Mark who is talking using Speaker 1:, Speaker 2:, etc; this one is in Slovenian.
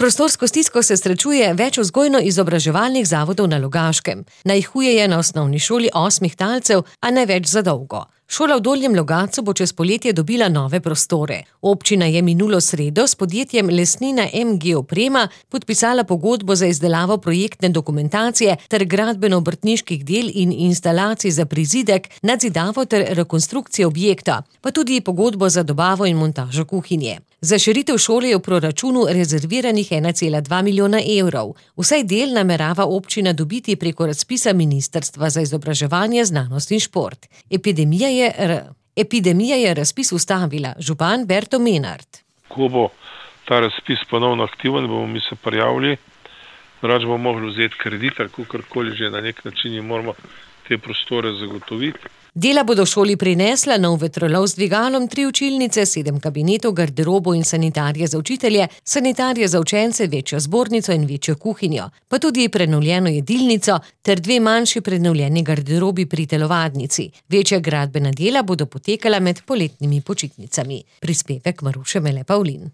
Speaker 1: prostorsko stisko se srečuje več vzgojno-izobraževalnih zavodov na Logaškem. Najhuje je na osnovni šoli 8 talcev, a ne več za dolgo. Šola v Dolnjem Logatcu bo čez poletje dobila nove prostore. Občina je minulo sredo s podjetjem Lesnina MG Oprema podpisala pogodbo za izdelavo projektne dokumentacije ter gradbeno-obrtniških del in instalacij za prizidek, nadzidavo ter rekonstrukcijo objekta, pa tudi pogodbo za dobavo in montažo kuhinje. Za širitev šole je v proračunu rezerviranih 1,2 milijona evrov. Vsaj del namerava občina dobiti preko razpisa Ministrstva za izobraževanje, znanost in šport. Epidemija je razpis ustavila, župan Berto Menard.
Speaker 2: Ko bo ta razpis ponovno aktiven, bomo mi se prijavili, rač bomo mogli vzeti kredit ali kakorkoli že na nek način in moramo te prostore zagotoviti.
Speaker 1: Dela bodo šoli prinesla nov vetrolov z dvigalom, 3 učilnice, 7 kabinetov, garderobo in sanitarije za učitelje, sanitarije za učence, večjo zbornico in večjo kuhinjo, pa tudi prenovljeno jedilnico ter 2 manjši prenovljeni garderobi pri telovadnici. Večja gradbena dela bodo potekala med poletnimi počitnicami. Prispevek Maruše Mele Pavlin.